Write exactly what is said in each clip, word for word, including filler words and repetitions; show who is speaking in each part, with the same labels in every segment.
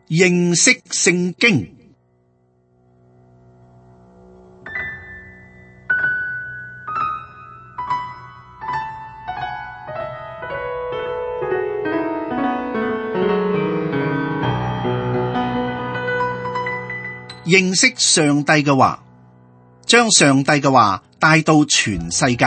Speaker 1: 認識聖經。認識上帝嘅話，將上帝嘅話帶到全世界。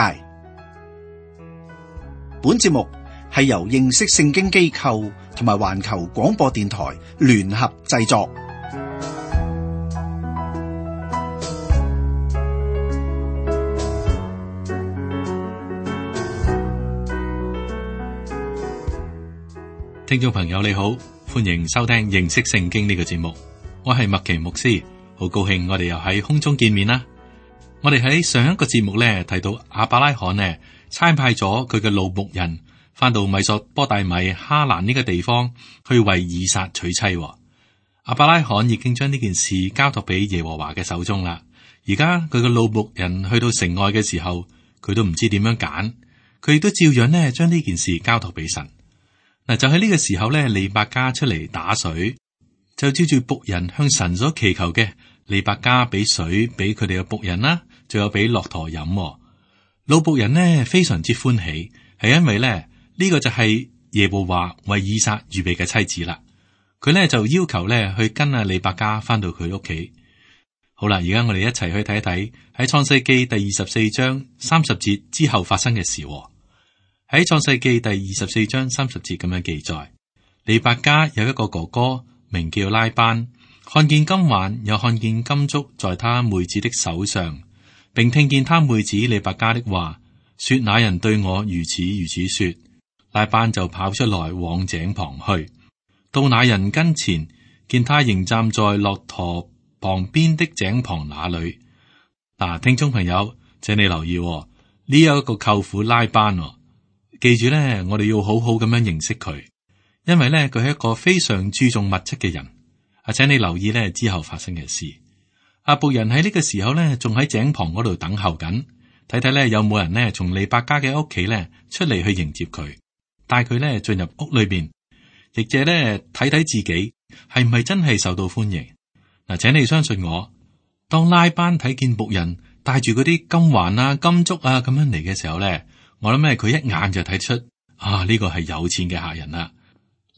Speaker 1: 本節目係由認識聖經機構同埋環球廣播電台聯合製作。
Speaker 2: 聽眾朋友你好，歡迎收聽認識聖經呢個節目。我係麥奇牧師，好高興我哋又喺空中見面啦。我哋喺上一個節目咧提到亞伯拉罕呢差派咗佢嘅老僕人翻到米索波大米哈蘭呢個地方去為以撒娶妻。亞伯拉罕已經將呢件事交託俾耶和華嘅手中啦。而家佢嘅老僕人去到城外嘅時候，佢都唔知點樣揀，佢亦都照樣呢將呢件事交託俾神。嗱，就喺呢個時候咧，利百加出嚟打水。就照住僕人向神所祈求嘅，利百加俾水俾佢哋嘅僕人啦，仲有俾駱駝飲。老僕人呢非常之歡喜，係因為咧呢、呢個就係耶和華為以撒預備嘅妻子啦。佢咧就要求咧去跟阿利百加翻到佢屋企。好啦，而家我哋一齊去睇一睇喺創世記第二十四章三十節之後發生嘅事。喺創世記第二十四章三十節咁樣記載，利百加有一個哥哥，名叫拉班，看見金環，又看見金足在他妹子的手上，並聽見他妹子利百加的話，說那人對我如此如此說。拉班就跑出來往井旁去，到那人跟前，見他仍站在駱駝旁邊的井旁那裏。嗱、啊，聽眾朋友，請你留意呢、哦、有一個舅父拉班、哦，記住咧，我哋要好好咁樣認識佢。因為咧，佢係一個非常注重物質嘅人。啊，請你留意咧之後發生嘅事。阿僕人喺呢個時候咧，仲喺井旁嗰度等候緊，睇睇咧有冇人咧從利百加嘅屋企咧出嚟去迎接佢，帶佢咧進入屋裏邊，亦借咧睇睇自己係唔係真係受到歡迎。嗱，請你相信我，當拉班睇見僕人帶住嗰啲金環啊、金足啊咁樣嚟嘅時候咧，我諗咧佢一眼就睇出啊呢個係有錢嘅客人啦。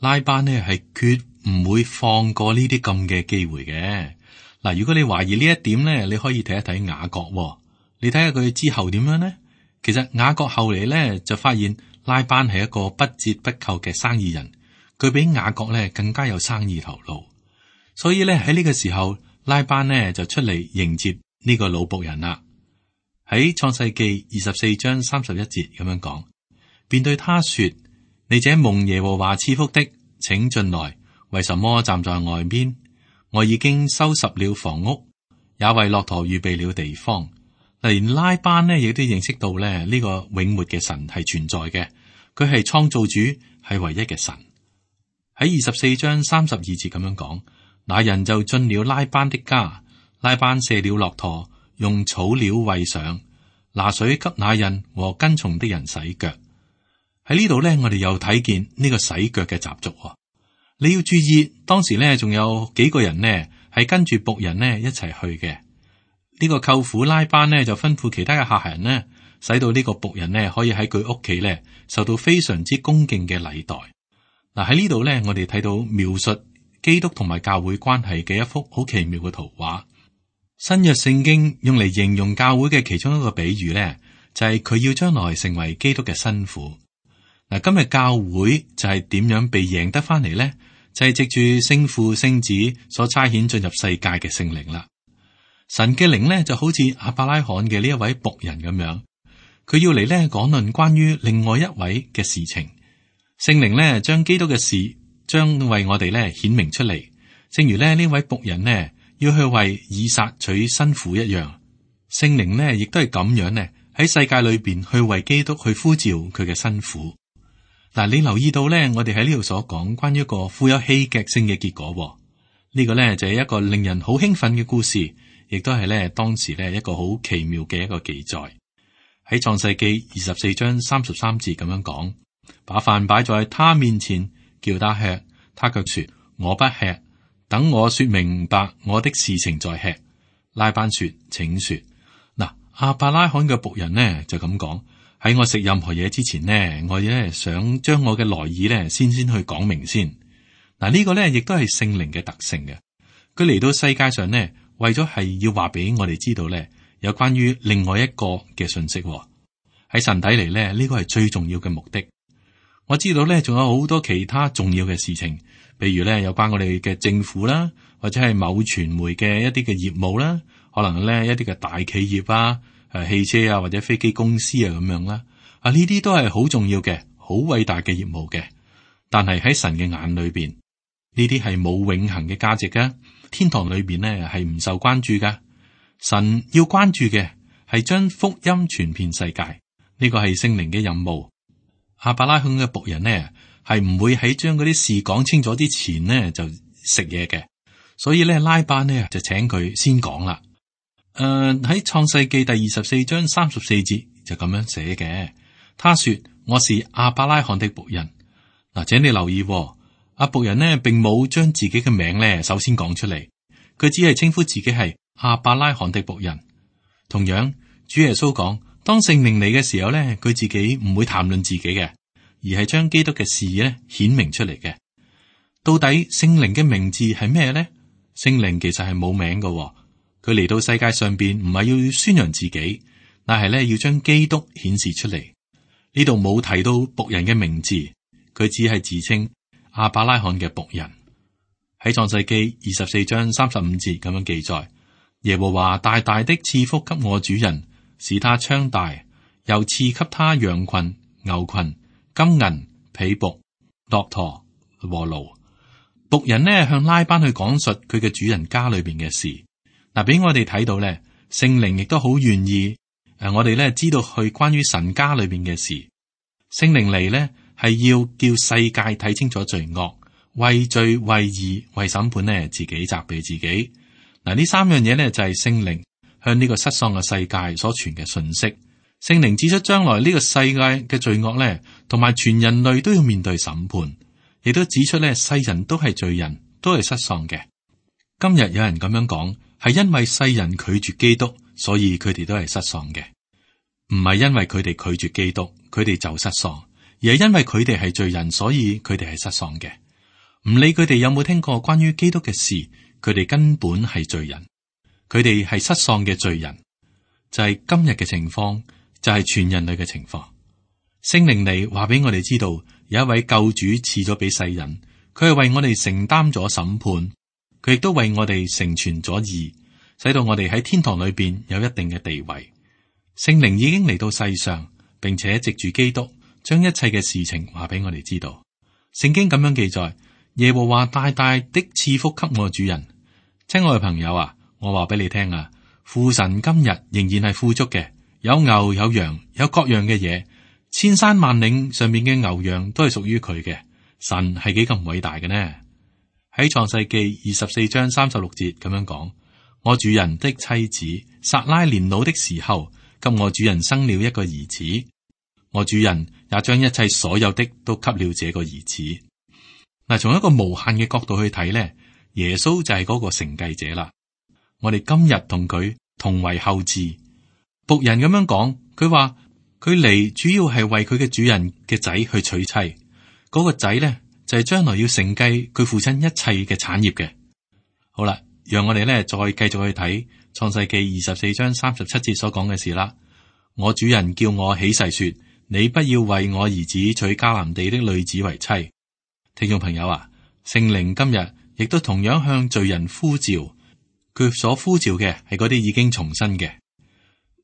Speaker 2: 拉班呢係決唔會放過呢啲咁嘅機會嘅。嗱，如果你懷疑呢一點呢，你可以睇一睇雅各、哦。你睇下佢之後點樣呢？其實雅各後嚟呢就發現拉班係一個不折不扣嘅生意人，佢比雅各呢更加有生意頭腦。所以呢，喺呢個時候，拉班呢就出嚟迎接呢個老僕人啦。喺創世記二十四章三十一節咁樣講，便對他說：你這蒙耶和華賜福的，請進來。為什麼站在外邊？我已經收拾了房屋，也為駱駝預備了地方。連拉班呢，亦都認識到咧呢個永活嘅神係存在嘅，佢係創造主，係唯一嘅神。喺二十四章三十二節咁樣講，那人就進了拉班的家，拉班卸了駱駝，用草料餵上，拿水給那人和跟從的人洗腳。喺呢度咧，我哋又睇見呢個洗腳嘅習俗。你要注意，當時咧仲有幾個人呢係跟住僕人呢一齊去嘅。呢個舅父拉班呢就吩咐其他嘅客人呢，使到呢個僕人呢可以喺佢屋企咧受到非常之恭敬嘅禮待。嗱，喺呢度咧，我哋睇到描述基督同埋教會關係嘅一幅好奇妙嘅圖畫。新約聖經用嚟形容教會嘅其中一個比喻咧，就係佢要將來成為基督嘅新婦。嗱，今日教會就係點樣被贏得翻嚟咧？就係藉住聖父、聖子所差遣進入世界嘅聖靈啦。神嘅靈咧就好似亞伯拉罕嘅呢一位僕人咁樣，佢要嚟咧講論關於另外一位嘅事情。聖靈咧將基督嘅事將為我哋咧顯明出嚟，正如咧呢位僕人呢要去為以撒娶新婦一樣。聖靈呢亦都係咁樣呢喺世界裏邊去為基督去呼召佢嘅新婦。嗱，你留意到咧，我哋喺呢度所講關於一個富有戲劇性嘅結果，呢個咧就係一個令人好興奮嘅故事，亦都係咧當時咧一個好奇妙嘅一個記載。喺創世記二十四章三十三節咁樣講，把飯擺在他面前，叫他吃，他卻說我不吃。等我說明白我的事情再吃。拉班說，請說。嗱，亞伯拉罕嘅僕人呢就咁講：喺我食任何嘢之前呢，我咧想將我嘅來意呢先先去講明先。嗱，呢個呢亦都係聖靈嘅特性嘅。佢嚟到世界上呢，為咗係要話俾我哋知道呢，有關於另外一個嘅信息。喺神睇嚟呢，呢個係最重要嘅目的。我知道呢，仲有好多其他重要嘅事情，譬如呢，有關我哋嘅政府啦，或者係某傳媒嘅一啲嘅業務啦，可能呢一啲嘅大企業啊，誒汽車啊或者飛機公司啊咁樣啦。啊，呢啲都係好重要嘅，好偉大嘅業務嘅。但係喺神嘅眼裏邊，呢啲係冇永恆嘅價值噶。天堂裏邊呢係唔受關注噶。神要關注嘅係將福音傳遍世界，呢個係聖靈嘅任務。亞伯拉罕嘅僕人呢係唔會喺將嗰啲事講清楚之前呢就食嘢嘅，所以咧拉班呢就請佢先講啦。誒、呃、喺創世記第二十四章三十四節就咁樣寫嘅。他說：我是亞伯拉罕的僕人。嗱，請你留意、哦，阿僕人呢並冇將自己嘅名咧首先講出嚟，佢只係稱呼自己係亞伯拉罕的僕人。同樣，主耶穌講，當聖靈嚟嘅時候咧，佢自己唔會談論自己嘅，而係將基督嘅事咧顯明出嚟嘅。到底聖靈嘅名字係咩咧？聖靈其實係冇名嘅、哦，佢嚟到世界上邊唔係要宣揚自己，但係咧要將基督顯示出嚟。呢度冇提到僕人嘅名字，佢只係自稱亞伯拉罕嘅僕人。喺創世記二十四章三十五節咁樣記載：耶和華大大的賜福給我主人，使他昌大，又賜給他羊群、牛群、金銀、婢僕、駱駝和驢。僕人呢向拉班去講述佢嘅主人家裏邊嘅事。嗱，俾我哋睇到咧，聖靈亦都好願意誒，我哋咧知道去關於神家裏邊嘅事。聖靈嚟咧係要叫世界睇清楚罪惡，為罪、為義、為審判呢自己責備自己。嗱，呢三樣嘢呢，就係聖靈向呢個失喪嘅世界所傳嘅信息。聖靈指出將來呢個世界嘅罪惡呢，同埋全人類都要面對審判，亦都指出呢世人都係罪人，都係失喪嘅。今日有人咁樣講，係因為世人拒絕基督，所以佢哋都係失喪嘅。唔係因為佢哋拒絕基督，佢哋就失喪，而係因為佢哋係罪人，所以佢哋係失喪嘅。唔理佢哋有冇聽過關於基督嘅事，佢哋根本係罪人，佢哋係失喪嘅罪人。就係今日嘅情況，就係全人類嘅情況。聖靈嚟話俾我哋知道，有一位救主賜咗俾世人，佢係為我哋承擔咗審判，佢亦都為我哋成全咗義，使到我哋喺天堂裏邊有一定嘅地位。聖靈已經嚟到世上，並且藉住基督將一切嘅事情話俾我哋知道。聖經咁樣記載：耶和華大大的賜福給我主人。親愛嘅朋友啊，我話俾你聽啊，父神今日仍然係富足嘅，有牛有羊，有各樣嘅嘢，千山萬嶺上面嘅牛羊都係屬於佢嘅。神係幾咁偉大嘅呢？喺創世記二十四章三十六節咁樣講：我主人的妻子撒拉年老的時候，給我主人生了一個兒子，我主人也將一切所有的都給了這個兒子。嗱，從一個無限嘅角度去睇咧，耶穌就係嗰個承繼者啦。我哋今日同佢同為後嗣。僕人咁樣講，佢話佢嚟主要係為佢嘅主人嘅仔去娶妻，嗰、那個仔咧就係、是、將來要承繼佢父親一切嘅產業嘅。好啦，讓我哋咧再繼續去睇創世記二十四章三十七節所講嘅事啦。我主人叫我起誓說，你不要為我兒子娶迦南地的女子為妻。聽眾朋友啊，聖靈今日亦都同樣向罪人呼召，佢所呼召嘅係嗰啲已經重生嘅。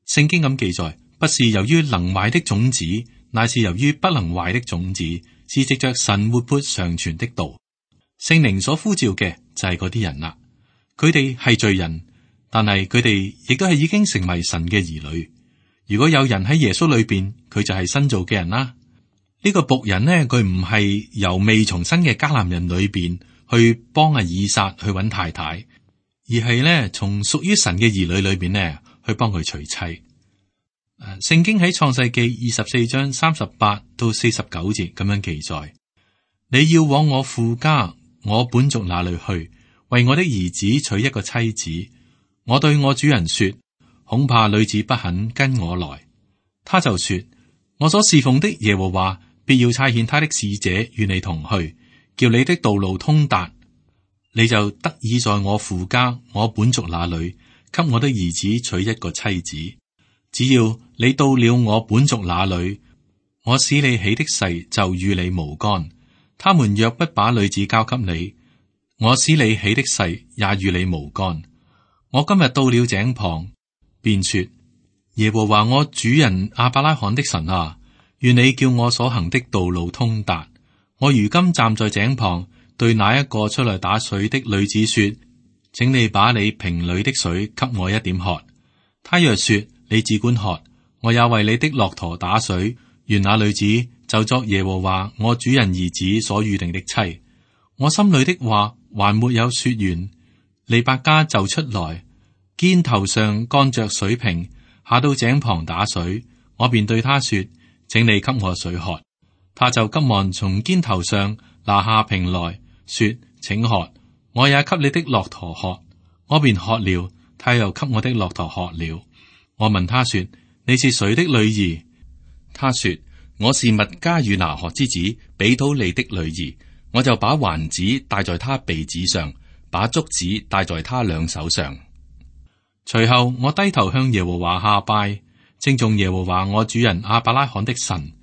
Speaker 2: 聖經咁記載，不是由於能壞的種子，乃是由於不能壞的種子，是藉着神活潑常存的道。聖靈所呼召嘅就係嗰啲人啦，佢哋係罪人，但係佢哋亦都係已經成為神嘅兒女。如果有人喺耶穌裏邊，佢就係新造嘅人啦。呢個僕人呢，佢唔係由未重生嘅迦南人裏邊去幫阿以撒去揾太太，而係呢從屬於神嘅兒女裏邊呢去幫佢娶妻。誒，聖經喺創世記二十四章三十八到四十九節咁樣記載：你要往我父家我本族那裏去，為我的兒子娶一個妻子。我對我主人說，恐怕女子不肯跟我來。他就說，我所侍奉的耶和華必要差遣他的使者與你同去，叫你的道路通達，你就得以在我父家我本族那裏給我的兒子娶一個妻子。只要你到了我本族那裏，我使你起的誓就與你無干。他們若不把女子交給你，我使你起的誓也與你無干。我今日到了井旁，便說，耶和華我主人亞伯拉罕的神啊，願你叫我所行的道路通達。我如今站在井旁，對那一個出來打水的女子說，請你把你瓶裏的水給我一點喝。他若說，你只管喝，我也為你的駱駝打水，願那女子就作耶和華我主人兒子所預定的妻。我心裏的話還沒有說完，利百加就出來，肩頭上扛着水瓶，下到井旁打水。我便對他說，請你給我水喝。他就急忙從肩頭上拿下瓶來，說，請喝。我也給你的駱駝喝。我便喝了，他又給我的駱駝喝了。我問他說，你是誰的女兒？他說，我是密加與拿鶴之子比土利的女兒。我就把環子戴在他鼻子上，把竹子戴在他兩手上。隨後我低頭向耶和華下拜，稱頌耶和華我主人亞伯拉罕的神，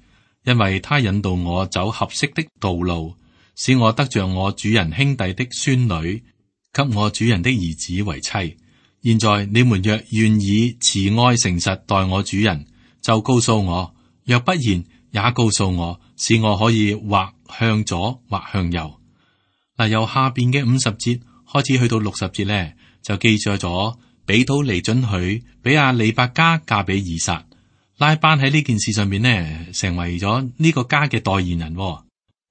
Speaker 2: 因為他引導我走合適的道路，使我得着我主人兄弟的孫女，給我主人的兒子為妻。現在你們若願意慈愛誠實待我主人，就告訴我；若不然，也告訴我，使我可以或向左或向右。嗱，由下邊嘅五十節開始去到六十節呢，就記載咗比土利准許比亞利百加嫁俾以撒。拉班喺呢件事上面呢，成為咗呢個家嘅代言人。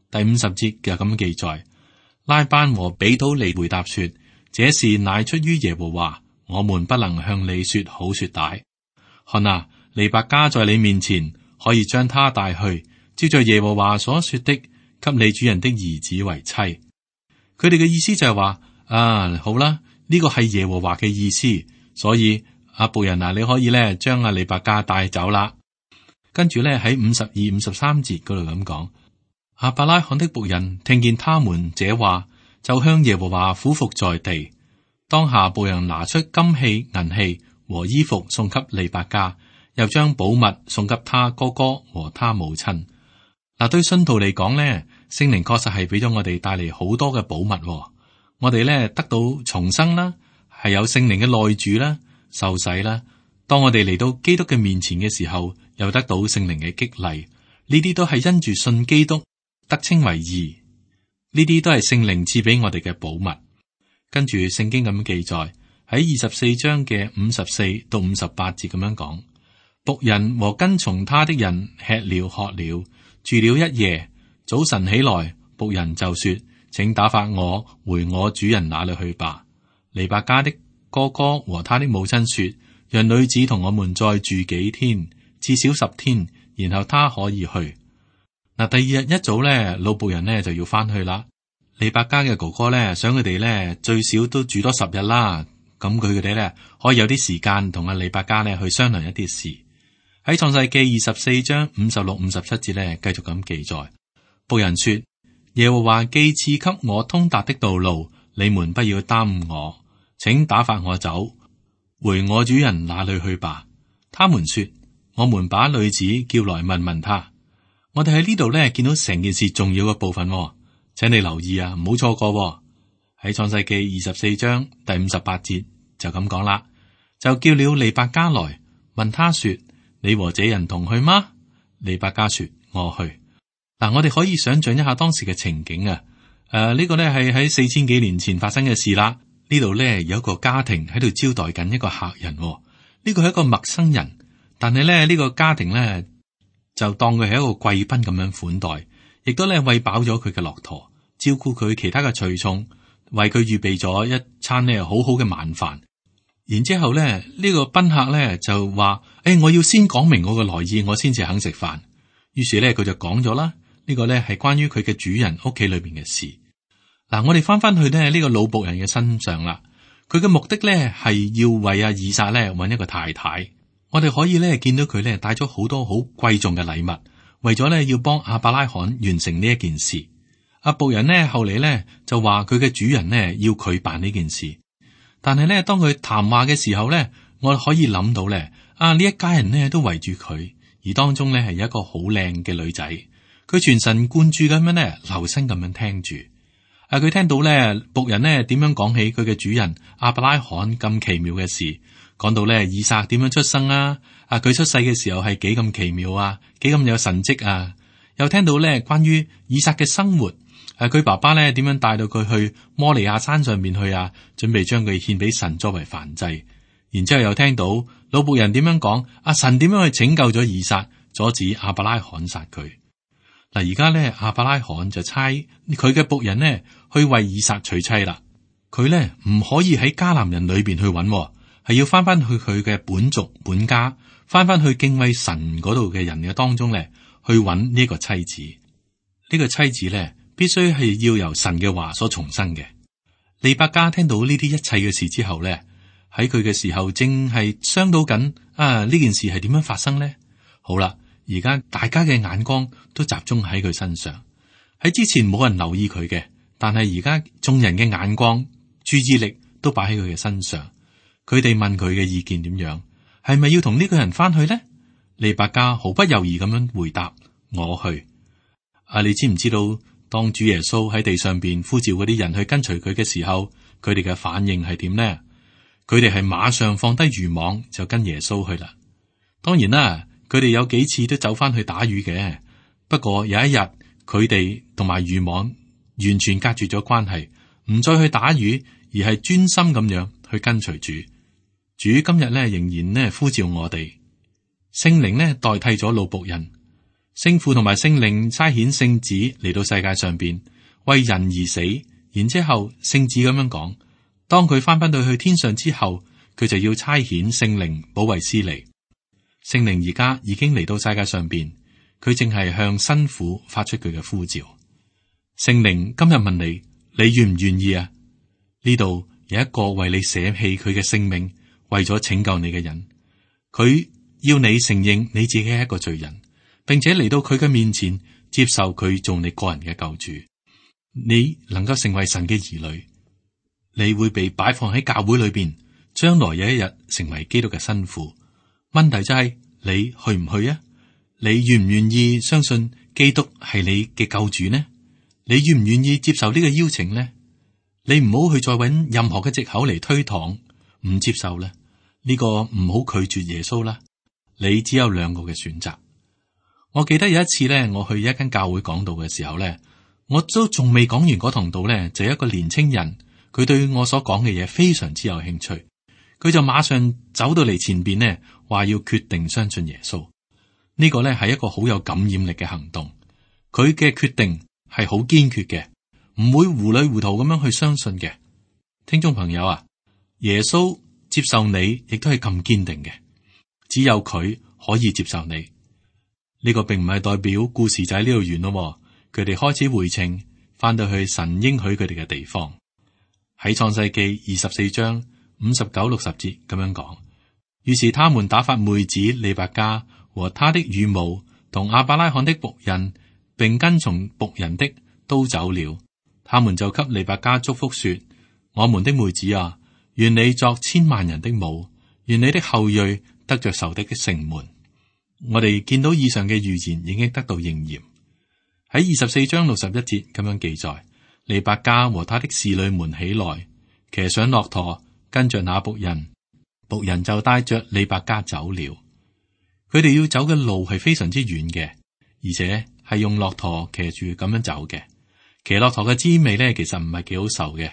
Speaker 2: 第五十節就咁記載，拉班和比土利回答說：這事乃出於耶和華，我們不能向你說好說歹。看啊，利百加在你面前，可以將他帶去，照着耶和華所說的，給你主人的兒子為妻。佢哋嘅意思就係話，啊，好啦，呢個係耶和華嘅意思，所以阿僕人啊，你可以咧將阿利百加帶走啦。跟住咧喺五十二、五十三節嗰度咁講，亞伯拉罕的僕人聽見他們這話，就向耶和華俯伏在地。當下僕人拿出金器、銀器和衣服送給利百加，又將寶物送給他哥哥和他母親。嗱，對信徒嚟講咧，聖靈確實係俾咗我哋帶嚟好多嘅寶物。我哋咧得到重生啦，係有聖靈嘅內住啦，受洗啦。當我哋嚟到基督嘅面前嘅時候，又得到聖靈嘅激勵。呢啲都係因住信基督得稱為義。呢啲都係聖靈賜俾我哋嘅寶物。跟住聖經咁記載喺二十四章嘅五十四到五十八節咁樣講，僕人和跟從他的人吃了喝了，住了一夜。早晨起來，僕人就說：請打發我回我主人那裏去吧。利百加的哥哥和他的母親說：讓女子同我們再住幾天，至少十天，然後他可以去。嗱，第二日一早咧，老僕人呢就要翻去啦。利百加嘅哥哥咧想佢哋咧最少都住多十日啦，咁佢哋咧可以有啲時間同阿利百加咧去商量一啲事。喺創世記二十四章五十六、五十七節咧繼續咁記載。僕人說：耶和華既賜給我通達的道路，你們不要耽誤我，請打發我走，回我主人那裏去吧。他們說：我們把女子叫來問問他。我哋喺呢度咧見到成件事重要嘅部分，請你留意啊，唔好錯過。喺創世記二十四章第五十八節就咁講啦，就叫了利百加來問他說：你和這人同去嗎？利百加說：我去。嗱，我哋可以想象一下當時嘅情景啊！誒、呃，呢、這個咧係喺四千幾年前發生嘅事啦。呢度咧有一個家庭喺度招待緊一個客人，呢、這個係一個陌生人，但係咧呢、這個家庭咧就當佢係一個貴賓咁樣款待，亦都咧餵飽咗佢嘅駱駝，照顧佢其他嘅隨從，為佢預備咗一餐咧好好嘅晚飯。然之後咧呢、這個賓客咧就話：誒、欸，我要先講明我嘅來意，我先至肯食飯。於是咧佢就講咗啦。呢個咧係關於佢嘅主人屋企裏邊嘅事。嗱，我哋翻翻去咧呢個老僕人嘅身上啦，佢嘅目的咧係要為阿以撒咧揾一個太太。我哋可以咧見到佢咧帶咗好多好貴重嘅禮物，為咗咧要幫亞伯拉罕完成呢一件事。阿僕人呢後嚟咧就話佢嘅主人呢要佢辦呢件事，但係咧當佢談話嘅時候咧，我可以諗到咧啊呢一家人呢都圍住佢，而當中咧係有一個好靚嘅女仔，佢全神貫注咁樣咧留心咁樣聽住。啊，佢聽到咧僕人呢點樣講起佢嘅主人亞伯拉罕咁奇妙嘅事。講到咧以撒點樣出生啊，啊佢出世嘅時候係幾咁奇妙啊，幾咁有神蹟啊，又聽到咧關於以撒嘅生活，誒、啊、佢爸爸咧點樣帶到佢去摩利亞山上面去啊，準備將佢獻俾神作為燔祭，然之後又聽到老僕人點樣講，阿、啊、神點樣去拯救咗以撒，阻止亞伯拉罕殺佢。嗱，而家咧亞伯拉罕就差佢嘅僕人呢去為以撒娶妻啦，佢咧唔可以喺迦南人裏邊去揾。係要翻翻去佢嘅本族本家，翻翻去敬畏神嗰度嘅人嘅當中咧，去揾呢個妻子。呢、這個妻子咧，必須係要由神嘅話所重生嘅。利百加聽到呢啲一切嘅事之後咧，喺佢嘅時候正係傷到緊啊！呢件事係點樣發生咧？好啦，而家大家嘅眼光都集中喺佢身上。喺之前冇人留意佢嘅，但係而家眾人嘅眼光、注意力都擺喺佢嘅身上。佢哋問佢嘅意見點樣，係咪要同呢個人翻去呢？利百加毫不猶豫咁樣回答：我去。啊，你知唔知道當主耶穌喺地上邊呼召嗰啲人去跟隨佢嘅時候，佢哋嘅反應係點呢？佢哋係馬上放低漁網就跟耶穌去啦。當然啦，佢哋有幾次都走翻去打魚嘅。不過有一日，佢哋同埋漁網完全隔絕咗關係，唔再去打魚，而係專心咁樣去跟隨主。主今日咧仍然咧呼召我哋，聖靈咧代替咗老僕人，聖父同埋聖靈差遣聖子嚟到世界上邊為人而死，然之後聖子咁樣講，當佢翻返到去天上之後，佢就要差遣聖靈保惠師嚟。聖靈而家已經嚟到世界上邊，佢正係向新婦發出佢嘅呼召。聖靈今日問你，你願唔願意啊？呢度有一個為你捨棄佢嘅性命，為咗拯救你嘅人，佢要你承認你自己係一個罪人，並且嚟到佢嘅面前接受佢做你個人嘅救主。你能夠成為神嘅兒女，你會被擺放喺教會裏邊，將來有一日成為基督嘅新婦。問題就係、是、你去唔去啊？你願唔願意相信基督係你嘅救主呢？你願唔願意接受呢個邀請呢？你唔好去再揾任何嘅藉口嚟推搪。唔接受咧，呢個唔好拒絕耶穌啦。你只有兩個嘅選擇。我記得有一次咧，我去一間教會講道嘅時候咧，我都仲未講完嗰堂道咧，就有一個年青人，佢對我所講嘅嘢非常之有興趣，佢就馬上走到嚟前邊呢，話要決定相信耶穌。呢個咧係一個好有感染力嘅行動。佢嘅決定係好堅決嘅，唔會糊裏糊塗咁樣去相信嘅。聽眾朋友啊，耶穌接受你，亦都係咁堅定嘅。只有佢可以接受你。呢個並唔係代表故事就喺呢度完咯。佢哋開始回程，翻到去神應許佢哋嘅地方。喺創世記二十四章五十九六十節咁樣講。於是他們打發妹子利百加和他的乳母同亞伯拉罕的僕人，並跟從僕人的都走了。他們就給利百加祝福說：我們的妹子啊，願你作千萬人的母，願你的後裔得着仇敵的城門。我哋見到以上嘅預言已經得到應驗。喺二十四章六十一節咁樣記載：利百加和他的侍女們起來，騎上駱駝，跟着那僕人，僕人就帶着利百加走了。佢哋要走嘅路係非常之遠嘅，而且係用駱駝騎住咁樣走嘅。騎駱駝嘅滋味咧，其實唔係幾好受嘅。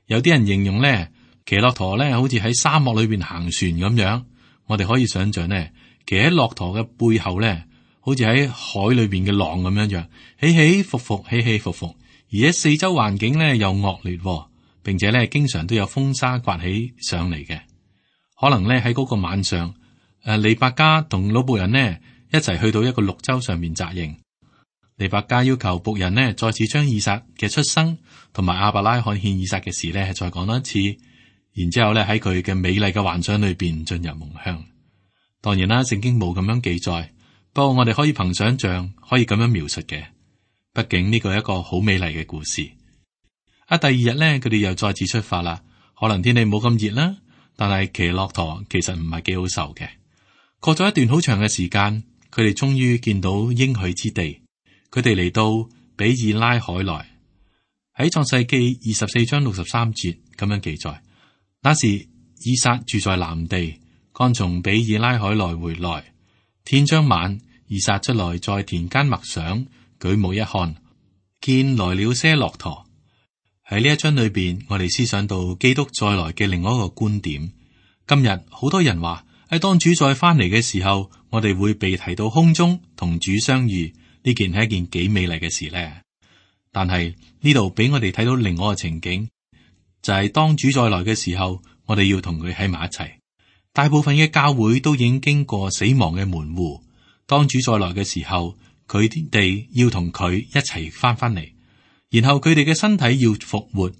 Speaker 2: 有啲人形容咧，騎駱駝咧好似喺沙漠裏邊行船咁樣。我哋可以想象咧，騎喺駱駝嘅背後咧，好似喺海裏邊嘅浪咁樣樣，起起伏伏，起起伏伏。而且四周環境咧又惡劣，並且咧經常都有風沙颳起上嚟嘅。可能咧喺嗰個晚上，誒利百加同老僕人呢一齊去到一個綠洲上面紮營。利百加要求僕人呢再次將以撒嘅出生同埋亞伯拉罕獻以撒嘅事呢再講多一次，然之後咧喺佢嘅美麗嘅幻想裏邊進入夢鄉。當然啦，聖經冇咁樣記載，不過我哋可以憑想象可以咁樣描述嘅。畢竟呢個係一個好美麗嘅故事。啊，第二日咧佢哋又再次出發啦，可能天氣冇咁熱啦，但係騎駱駝其實唔係幾好受嘅。過咗一段好長嘅時間，佢哋終於見到應許之地。佢哋嚟到比爾拉海來，喺創世記二十四章六十三節咁樣記載。那時以撒住在南地，剛從比爾拉海來回來。天將晚，以撒出來在田間默想，舉目一看，見來了些駱駝。喺呢一章裏邊，我哋思想到基督再來嘅另外一個觀點。今日好多人話喺當主再翻嚟嘅時候，我哋會被提到空中同主相遇。呢件係一件幾美麗嘅事呢？但係呢度俾我哋睇到另外一個情景，就係、是、當主再來嘅時候，我哋要同佢喺埋一齊。大部分嘅教會都已經經過死亡嘅門戶，當主再來嘅時候，佢哋要同佢一齊翻翻嚟，然後佢哋嘅身體要復活，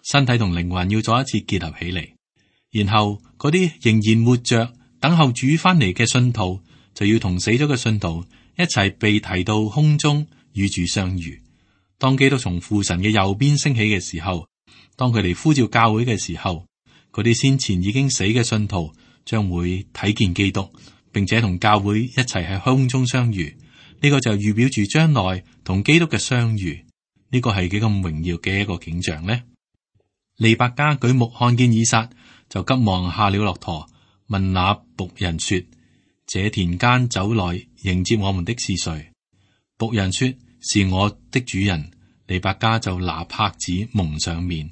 Speaker 2: 身體同靈魂要再一次結合起嚟，然後嗰啲仍然活着等候主翻嚟嘅信徒，就要同死咗嘅信徒一齊被提到空中與主相遇。當基督從父神嘅右邊升起嘅時候，當佢哋呼召教會嘅時候，嗰啲先前已經死嘅信徒將會睇見基督，並且同教會一齊喺空中相遇。呢個就預表住將來同基督嘅相遇。呢個係幾咁榮耀嘅一個景象呢？利百加舉目看見以撒，就急忙下了駱駝，問那僕人說：這田間走來迎接我們的是誰？僕人說：是我的主人。利百加就拿帕子蒙上面。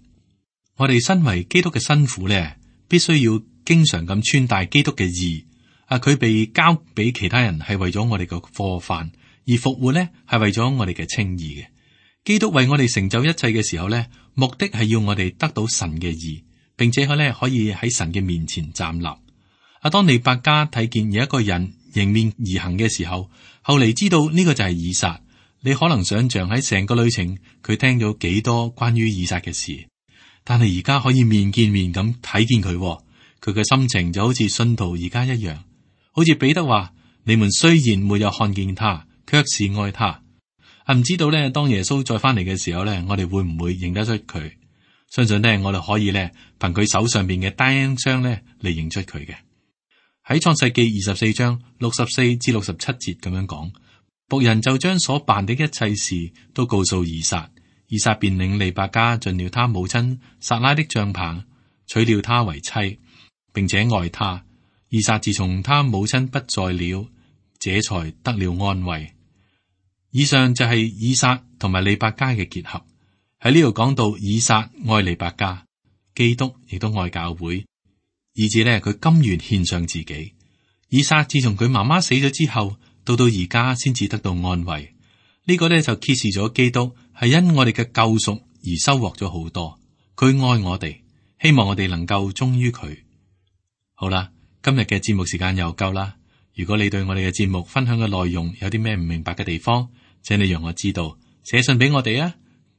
Speaker 2: 我哋身為基督嘅新婦呢，必須要經常咁穿戴基督嘅義。啊，佢被交俾其他人係為咗我哋嘅過犯，而復活呢係為咗我哋嘅稱義嘅。基督為我哋成就一切嘅時候呢，目的係要我哋得到神嘅義，並且佢呢可以喺神嘅面前站立。啊，當利百加睇見有一個人迎面而行嘅時候，後嚟知道呢個就係以撒。你可能想象喺成個旅程，佢聽咗幾多關於以撒嘅事，但係而家可以面見面咁睇見佢，佢嘅心情就好似信徒而家一樣，好似彼得話：你們雖然沒有看見他，卻是愛他。啊，唔知道咧，當耶穌再翻嚟嘅時候咧，我哋會唔會認得出佢？相信咧，我哋可以咧憑佢手上邊嘅單雙咧嚟認出佢嘅。喺創世記二十四章六十四至六十七節咁樣講。僕人就將所辦的一切事都告訴以撒，以撒便領利百加進了他母親撒拉的帳棚，娶了她為妻，並且愛她。以撒自從他母親不在了，這才得了安慰。以上就係以撒同埋利百加嘅結合。喺呢度講到以撒愛利百加，基督亦都愛教會，以至呢，佢甘願獻上自己。以撒自從佢媽媽死咗之後，到到而家先至得到安慰，呢個呢就揭示咗基督係因我哋嘅救贖而收穫咗好多。佢愛我哋，希望我哋能夠忠於佢。好啦，今日嘅節目時間又夠啦。如果你對我哋嘅節目分享嘅內容有啲咩唔明白嘅地方，請你讓我知道，寫信俾我哋啊。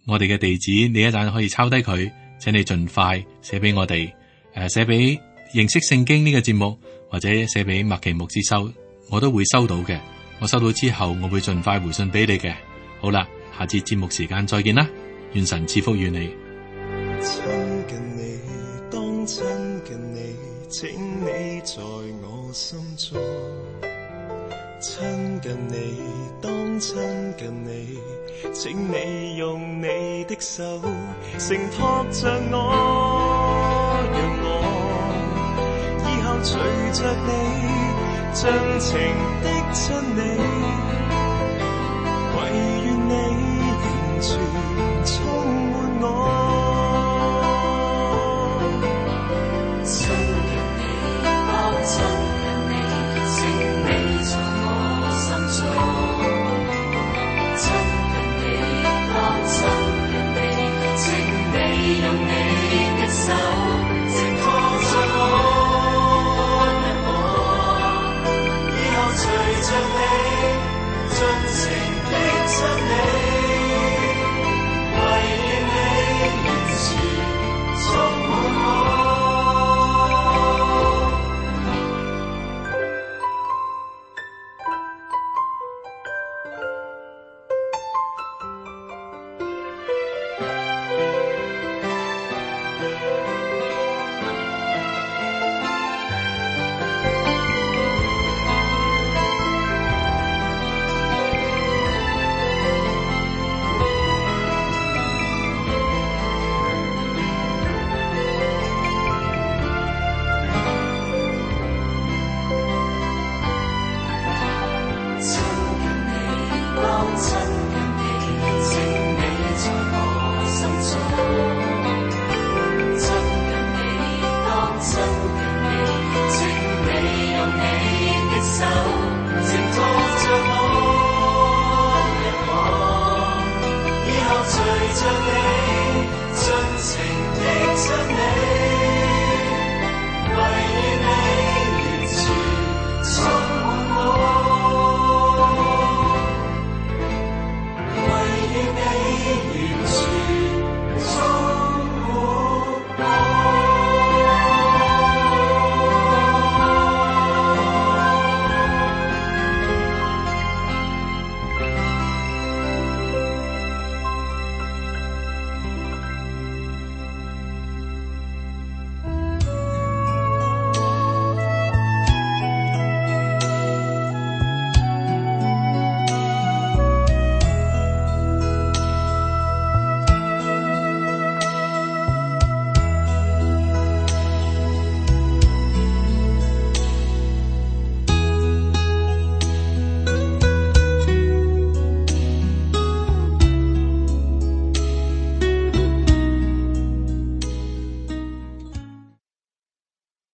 Speaker 2: 我哋嘅地址你一陣可以抄低佢，請你盡快寫俾我哋。誒、呃，寫俾認識聖經呢個節目，或者寫俾麥奇牧師收，我都會收到嘅。我收到之後，我會盡快回信俾你嘅。好啦，下次節目時間再見啦，願神賜福與你。
Speaker 3: 親近你，當親近你，請你在我心中。親近你，當親近你，請你用你的手承托着我，讓我以後隨着你。盡情的親你，唯願你完全充滿我。親近你，當親近你，請你在我心中。親近你，當親近你，請你用你的手承托着我。隨着你，親近